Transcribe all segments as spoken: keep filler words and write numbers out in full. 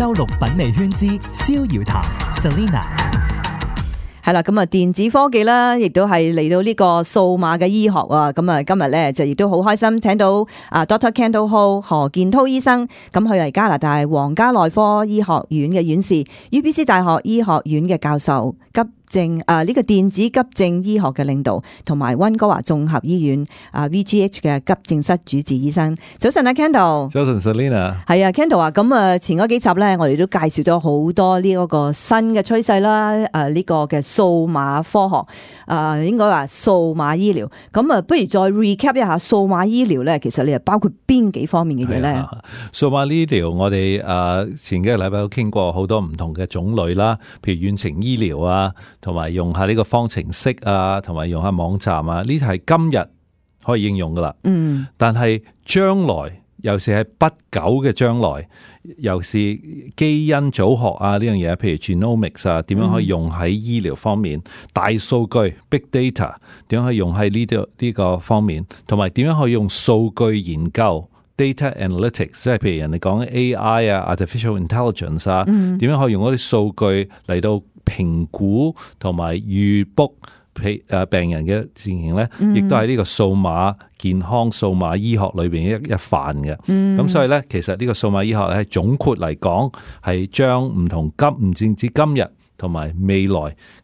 周六品味圈之逍遙談 Selina。係啦，咁啊電子科技啦，亦都係嚟到呢個數碼嘅醫學啊。咁啊今日咧就亦都好開心，請到啊 Doctor Kendall Ho 何建滔醫生。咁佢係加拿大皇家內科醫學院嘅院士 ，U B C 大學醫學院嘅教授，急症啊呢個電子急症醫學嘅領導，同埋溫哥華綜合醫院啊 V G H 嘅急症室主治醫生。早晨啊 Kendall。早晨 Selina。係啊 Kendall 啊，咁啊前嗰幾集咧，我哋都介紹咗好多呢一個新嘅趨勢啦，誒呢個嘅數碼科學，誒應該話數碼醫療。咁啊，不如再 recap 一下數碼醫療咧，其實你係包括邊幾方面嘅嘢咧？數碼醫療我哋誒前幾個禮拜都傾過好多唔同嘅種類啦，譬如遠程醫療啊。同埋用下呢個方程式啊，同埋用下網站啊，呢啲係今日可以應用噶啦。嗯，但係將來，尤其係不久嘅將來，尤其是基因組學啊呢樣嘢，譬如 genomics 啊，點樣可以用喺醫療方面？嗯、大數據 big data 點樣可以用喺呢啲呢個方面？同埋點樣可以用數據研究 data analytics， 即係譬如人哋講 A I 啊 artificial intelligence 啊，點、嗯、樣可以用嗰啲數據嚟到評估同埋預 book 病人嘅情形咧，亦都係呢個數碼健康、數碼醫學裏邊一一範嘅。咁、嗯、所以咧，其實呢個數碼醫學咧，總括嚟講係將唔同今唔淨止今日同埋未來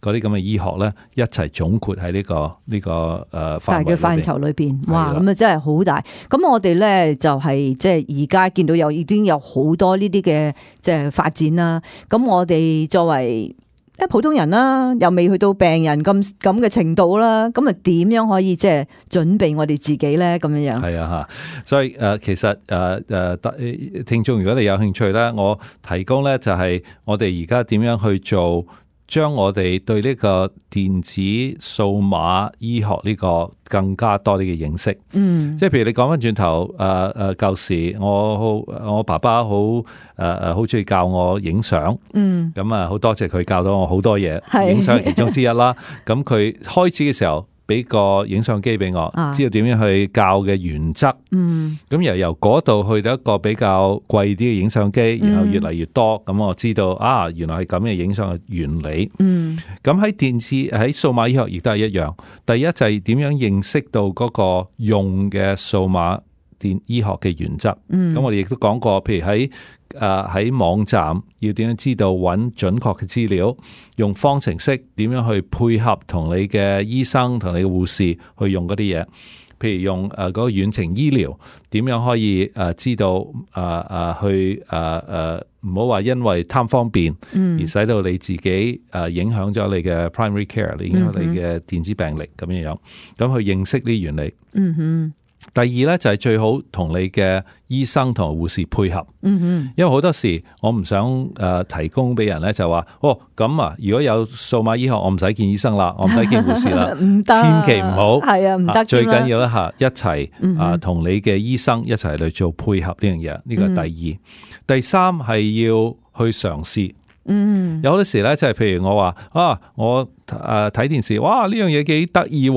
嗰啲咁嘅醫學咧，一齊總括喺呢、這個呢、這個誒、呃、大嘅範疇裏邊。哇，咁啊真係好大。咁我哋咧就係即係而家見到有已經有好多呢啲嘅即係發展啦。咁我哋作為即係普通人啦，又未去到病人咁咁嘅程度啦，咁啊點樣可以即係準備我哋自己咧？咁樣樣係啊吓，所以誒，其實誒誒，聽眾如果你有興趣咧，我提供咧就係我哋而家點樣去做，將我哋對呢個電子數碼醫學呢個更加多啲嘅認識。嗯，即係譬如你講翻轉頭，誒誒舊時我好我爸爸好誒誒好中意教我影相。嗯，咁啊好多謝佢教到我好多嘢，影相係其中之一啦。咁佢開始嘅時候俾個影相機俾我，啊、知道點樣去教嘅原則。嗯，咁由由嗰度去到一個比較貴啲嘅影相機，然後越嚟越多，咁、嗯、我知道啊，原來係咁嘅影相嘅原理。嗯，咁喺電視喺數碼醫學亦都係一樣。第一就係點樣認識到嗰個用嘅數碼電醫學嘅原則。嗯，咁我哋亦都講過，譬如喺誒喺網站要點樣知道揾準確嘅資料，用方程式點樣去配合同你嘅醫生同你嘅護士去用嗰啲嘢，譬如用誒嗰個遠程醫療點樣可以誒知道誒誒去誒誒唔好話因為貪方便而使到你自己誒影響咗你嘅 primary care， 影響你嘅電子病歷咁樣樣，咁去認識呢啲原理。嗯哼。第二咧就係最好同你嘅醫生同埋護士配合，嗯哼，因為好多時我唔想誒提供俾人咧就話哦咁啊，如果有數碼醫學我唔使見醫生啦，我唔使見護士啦，唔得，千祈唔好，係啊，唔得，最緊要咧吓一齊啊同你嘅醫生一齊嚟做配合呢樣嘢，呢個係第二，嗯、第三係要去嘗試。嗯，有好多時咧，即係譬如我話啊，我誒睇電視，哇呢樣嘢幾得意，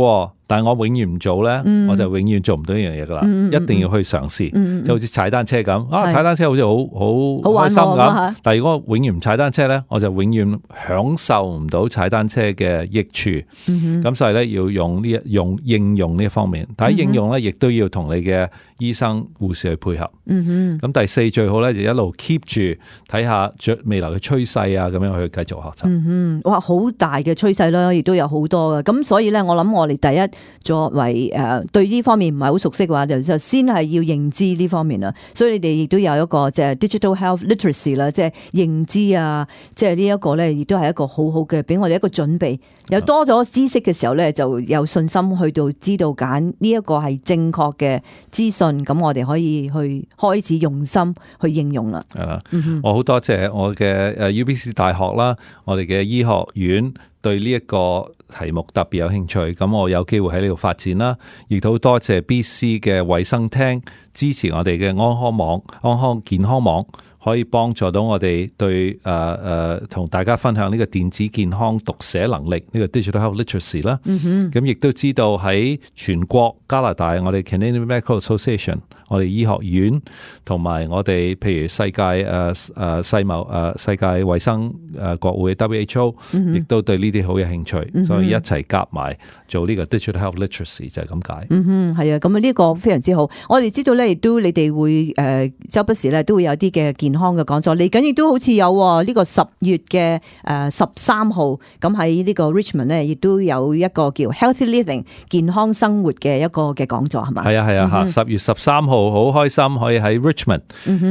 但係我永遠唔做咧，嗯、我就永遠做唔到呢樣嘢噶啦，嗯、一定要去嘗試，嗯、就好似踩單車咁，啊踩單車好似好好開心咁，但係如果我永遠唔踩單車咧，我就永遠享受唔到踩單車嘅益處，咁、嗯、所以咧要用呢一用應用呢一方面，但係應用咧亦都要同你嘅醫生護士去配合，咁、嗯、第四最好咧就一路 keep 住睇下未來嘅趨勢啊，咁樣去繼續學習。嗯哇，好大嘅趨勢啦，亦都有好多嘅，咁所以咧，我諗我哋第一作為誒對呢方面唔係好熟悉嘅話，就就先係要認知呢方面啦。所以你哋亦都有一個即係 digital health literacy 啦，即係認知啊，即係呢一個咧，亦都係一個好好嘅，俾我哋一個準備。有多咗知識嘅時候咧，就有信心去到知道揀呢一個係正確嘅資訊，咁我哋可以去開始用心去應用啦。係啦，我好多謝我嘅誒 U B C 大學啦，我哋嘅醫學院對呢一個題目特別有興趣，咁我有機會喺呢度發展啦，亦都多謝 B C 嘅衛生廳支持我哋嘅安康網、安康健康網，可以幫助到我哋對誒誒同大家分享呢個電子健康讀寫能力呢、這個 digital health literacy 啦。咁亦都知道喺全國加拿大，我哋 Canadian Medical Association， 我哋醫學院同埋我哋譬如世界誒誒世貿誒世界衛生誒國會 W H O， 亦都對呢啲好有興趣，嗯、所以一齊夾埋做呢個 digital health literacy 就係咁解。嗯哼，係啊，咁啊呢個非常之好。我哋知道咧，亦都你哋會誒、呃、周不時咧都會有啲嘅健康嘅講座。嚟緊亦都好似有呢、這個十月嘅誒十三號，咁喺呢個 Richmond 咧，亦都有一個叫 Healthy Living 健康生活嘅一個嘅講座，係嘛？係啊係啊吓，十月十三號好開心可以喺 Richmond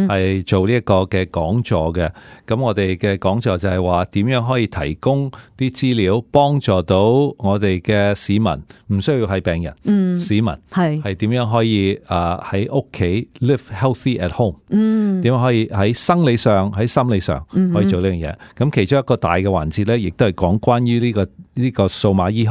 係做呢一個嘅講座嘅。咁我哋嘅講座就係話點樣可以提供啲資料幫助到我哋嘅市民，唔需要係病人，嗯、市民係係點樣可以誒喺屋企 live healthy at home，嗯，點樣可以喺生理上喺心理上可以做呢樣嘢。咁、嗯、其中一個大嘅環節咧，亦都係講關於呢、這個呢、這個數碼醫學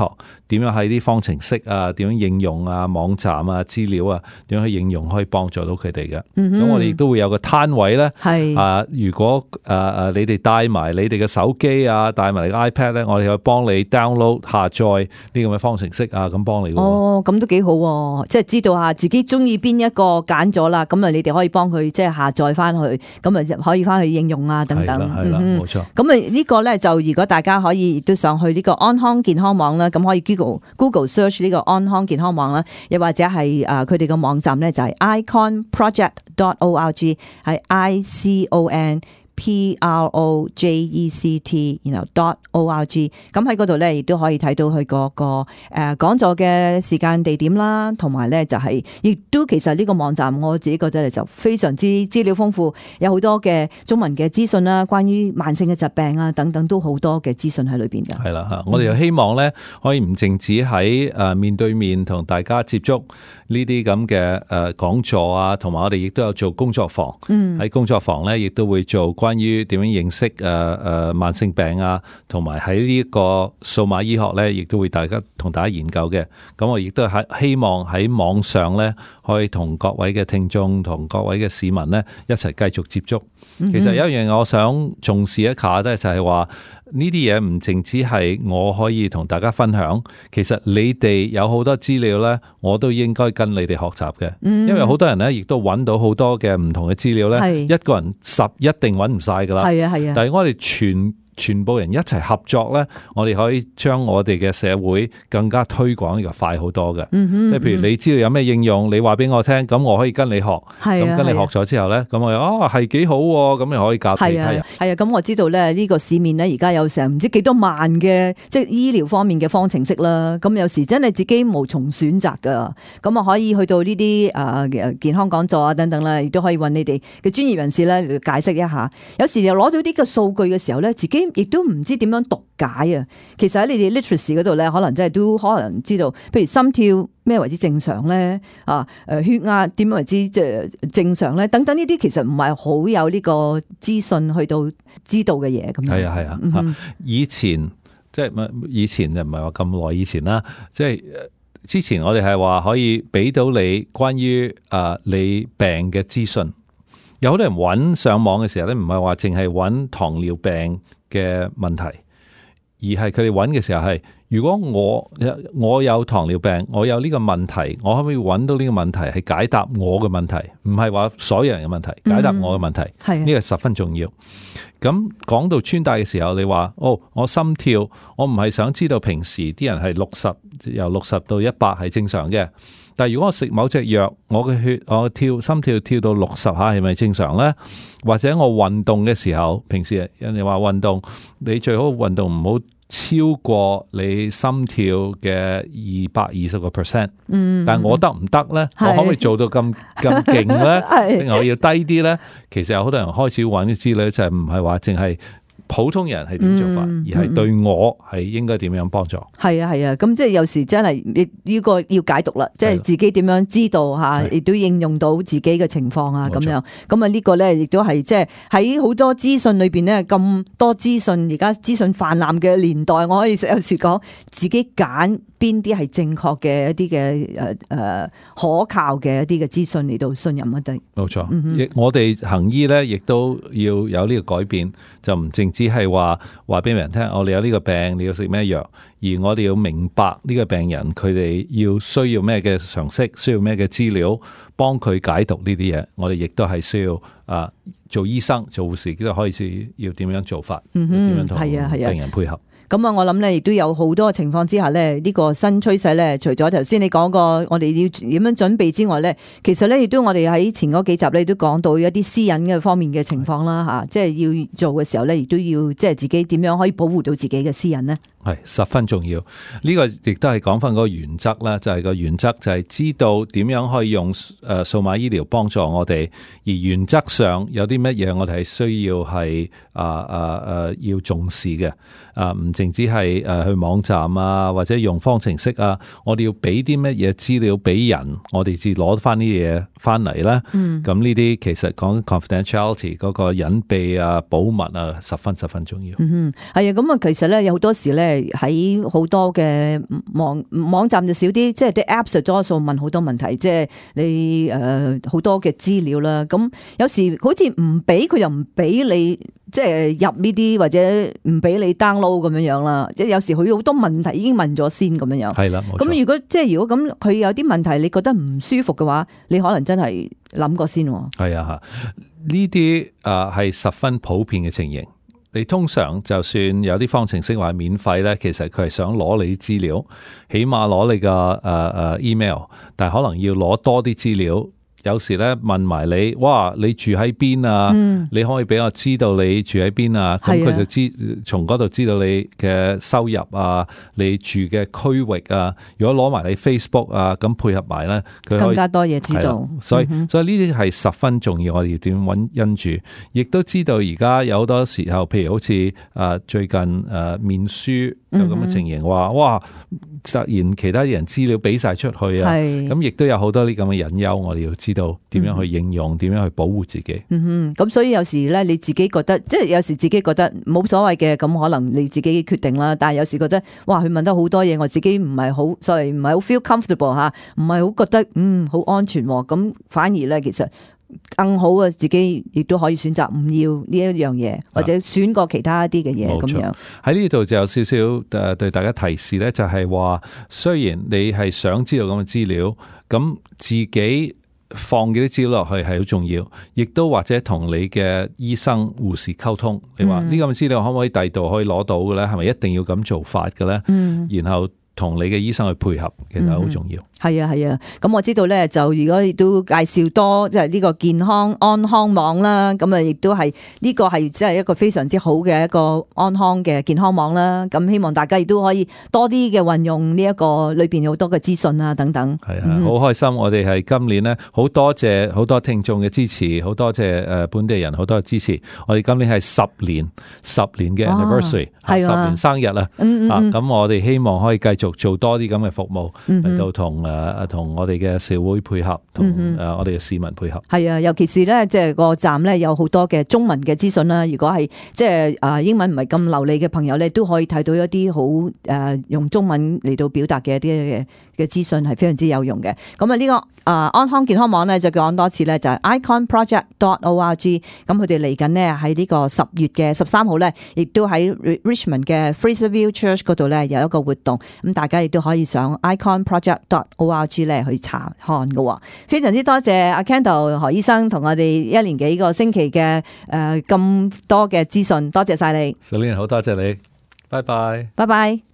點樣喺啲方程式啊，點樣應用啊，網站啊，資料啊，點樣去應用可以幫助到佢哋嘅。咁、嗯、我哋亦都會有個攤位咧，係啊，如果誒誒、呃、你哋帶埋你哋嘅手機啊，帶埋你嘅 iPad 咧，我哋可以幫你 download 下載呢咁嘅方程式啊，咁幫你。哦，咁都幾好、啊，即係知道下自己中意邊一個揀咗啦，咁啊你哋可以幫佢即係下載翻去，咁啊可以翻去應用啊等等。係啦，冇錯。咁啊呢個咧就如果大家可以都上去呢個安康健康網啦，咁可以 Google Google search 呢個安康健康網啦，又或者係誒佢哋嘅網站咧就係 icon project dot org， 係 I C O N P R O J E C T， 然後 dot org， 咁喺嗰度咧亦都可以睇到佢嗰個誒講座嘅時間地點啦，同埋咧就係亦都其實呢個網站我自己覺得就非常之資料豐富，有好多嘅中文嘅資訊啦，關於慢性嘅疾病啊等等都好多嘅資訊喺裏邊㗎。係啦嚇，我哋又希望咧可以唔淨止喺誒面對面同大家接觸呢啲咁嘅誒講座啊，同埋我哋亦都有做工作坊，喺、嗯、工作坊咧亦都會做關於點樣認識誒誒慢性病啊，同埋喺呢一個數碼醫學咧，亦都會大家同大家研究嘅。咁我亦都係希望喺網上咧，可以同各位嘅聽眾同各位嘅市民咧一齊繼續接觸。其實有一樣我想重視一下咧，就係話呢啲嘢唔淨止係我可以同大家分享，其實你哋有好多資料咧，我都應該跟你哋學習嘅。因為好多人咧，亦都揾到好多嘅唔同嘅資料咧，一個人十一定揾唔晒噶啦。係啊係啊，但係我哋全全部人一齊合作咧，我哋可以將我哋嘅社會更加推廣呢個快好多嘅。即、嗯、係譬如你知道有咩應用，你話俾我聽，咁我可以跟你學。咁跟你學咗之後咧，咁我又哦係幾好，咁你可以教其他人。係啊，咁我知道咧呢個市面咧而家有成唔知幾多萬嘅即係醫療方面嘅方程式啦。咁有時真係自己無從選擇噶。咁啊可以去到呢啲誒健康講座啊等等啦，亦都可以揾你哋嘅專業人士咧嚟解釋一下。有時又攞到呢個數據嘅時候咧，自己亦都唔知點樣讀解啊！其實喺你哋 literacy 嗰度咧，可能真係都可能知道，譬如心跳咩為之正常咧啊？誒血壓點為之即係正常咧？等等呢啲其實唔係好有呢個資訊去到知道嘅嘢咁樣。係啊係啊、嗯，以前即係以前就唔係話咁耐以前啦，即係之前我哋係話可以俾到你關於誒你病嘅資訊。有好多人揾上網嘅時候咧，唔係話淨係揾糖尿病嘅問題，而係佢哋揾嘅時候係，如果我我有糖尿病，我有呢個問題，我可唔可以揾到呢個問題係解答我嘅問題，唔係話所有人嘅問題，解答我嘅問題，呢、嗯、個十分重要。咁講到穿戴嘅時候，你話哦，我心跳，我唔係想知道平時啲人係六十由六十到一百係正常嘅。但係如果我食某隻藥，我嘅血我跳心跳跳到六十下係咪正常呢？或者我運動嘅時候，平時人哋話運動，你最好運動唔好超過你心跳嘅二百二十個 percent。嗯，但係我得唔得呢？我可唔可以做到咁咁勁呢？定係我要低啲呢？其實有好多人開始揾啲資料，就係唔係話淨係普通人係點做法，嗯、而係對我係應該點樣幫助。係啊係啊，咁即係有時真係呢呢個要解讀啦，即係自己點樣知道吓，亦都應用到自己嘅情況啊咁樣。咁啊呢個咧亦都係即係喺好多資訊裏邊咧，咁多資訊，而家資訊泛濫嘅年代，我可以有時講自己揀邊啲係正確嘅一啲嘅誒誒可靠嘅一啲嘅資訊嚟到信任一啲。冇錯，嗯、我哋行醫咧，亦都要有呢個改變，就唔淨只係話話俾人聽，我哋有呢個病，你要食咩藥，而我哋要明白呢個病人佢哋要需要咩嘅常識，需要咩嘅資料，幫佢解讀呢啲嘢。我哋亦都係需要啊，做醫生、做護士都開始要點樣做法，點、嗯、樣同病人配合。咁啊，我諗咧，亦都有好多情況之下咧，呢、這個新趨勢咧，除咗頭先你講過我哋要點樣準備之外咧，其實咧亦都我哋喺前嗰幾集咧都講到一啲私隱嘅方面嘅情況啦吓，即係要做嘅時候咧，亦都要即係自己點樣可以保護到自己嘅私隱呢？係十分重要。呢、這個亦都係講翻嗰個原則啦，就係、是、個原則就係知道點樣可以用誒數碼醫療幫助我哋，而原則上有啲乜嘢我哋係需要係啊啊啊要重視嘅啊唔。淨只係誒去網站啊，或者用方程式啊，我哋要俾啲乜嘢資料俾人，我哋至攞翻啲嘢翻嚟啦。嗯，咁呢啲其實講 confidentiality 嗰個隱蔽啊、保密啊，十分十分重要。嗯哼，係啊，咁啊，其實咧有好多時咧喺好多嘅網網站就少啲，即係啲 apps 就多數問好多問題，即係你誒好多嘅資料啦。咁有時好似唔俾佢又唔俾你。即係入呢啲或者唔俾你 download 咁樣樣啦，即係有時佢好多問題已經問咗先咁樣樣。係啦，冇錯。咁如果即係如果咁佢有啲問題你覺得唔舒服嘅話，你可能真係諗過先。係啊，呢啲啊係十分普遍嘅情形。你通常就算有啲方程式話免費咧，其實佢係想攞你啲資料，起碼攞你個誒誒 email，但係可能要攞多啲資料。有時咧問埋你，哇！你住喺邊啊？嗯、你可以俾我知道你住喺邊啊？咁佢就知從嗰度知道你嘅收入啊，你住嘅區域啊。如果攞埋你 Facebook 啊，咁配合埋咧，佢更加多嘢知道。所以、嗯、所以呢啲係十分重要，我哋要點揾因住，亦都知道而家有好多時候，譬如好似誒最近誒面書有咁嘅情形，話、嗯、哇突然其他人資料俾晒出去啊，咁亦都有好多啲咁嘅隱憂，我哋要知道點樣去應用，點、嗯、樣去保護自己。嗯哼，咁所以有時咧，你自己覺得，即係有時自己覺得冇所謂嘅，咁可能你自己決定啦。但係有時覺得，哇，佢問得好多嘢，我自己唔係好，所以唔係好 feel comfortable 吓，唔係好覺得嗯好安全。咁反而咧，其實更好啊，自己亦都可以選擇唔要呢一樣嘢，或者選過其他一啲嘅嘢咁樣。喺呢度就有少少誒對大家提示咧，就係話，雖然你係想知道咁嘅資料，咁自己放幾啲資料落去係好重要，亦都或者同你嘅醫生、護士溝通，你話呢咁嘅資料可唔可以第二度可以攞到嘅咧？係咪一定要咁做法嘅咧？嗯，然後同你嘅醫生去配合，其實好重要。係啊係啊，咁我知道咧，就如果亦都介紹多即係呢個健康安康網啦，咁啊亦都係呢個係即係一個非常之好嘅一個安康嘅健康網啦。咁希望大家亦都可以多啲嘅運用呢一個裏邊有好多嘅資訊啊等等。係啊，好開心！我哋係今年咧好多謝好多聽眾嘅支持，好多謝誒本地人好多嘅支持。我哋今年係十年十年嘅 anniversary，係十年生日啦。嗯嗯嗯。咁我哋希望可以繼續做多啲咁嘅服務嚟到同誒同我哋嘅社會配合，同誒我哋嘅市民配合。係啊，尤其是咧，即係個站咧有好多嘅中文嘅資訊啦。如果係即係啊英文唔係咁流利嘅朋友咧，都可以睇到一啲好誒用中文嚟到表達嘅一啲嘅嘅資訊係非常之有用嘅。咁啊呢個啊安康健康網咧就講多次咧，就係 icon project dot org。咁佢哋嚟緊呢，喺呢個十月嘅十三號咧，亦都喺 Richmond 嘅 Fraserville Church 嗰度咧有一個活動。咁大家亦都可以上 icon project dot org 咧去查看嘅。非常之多謝阿 Kendall 何醫生同我哋一連幾個星期嘅誒咁多嘅資訊，多謝晒你。Celine 好多謝你，拜拜，拜拜。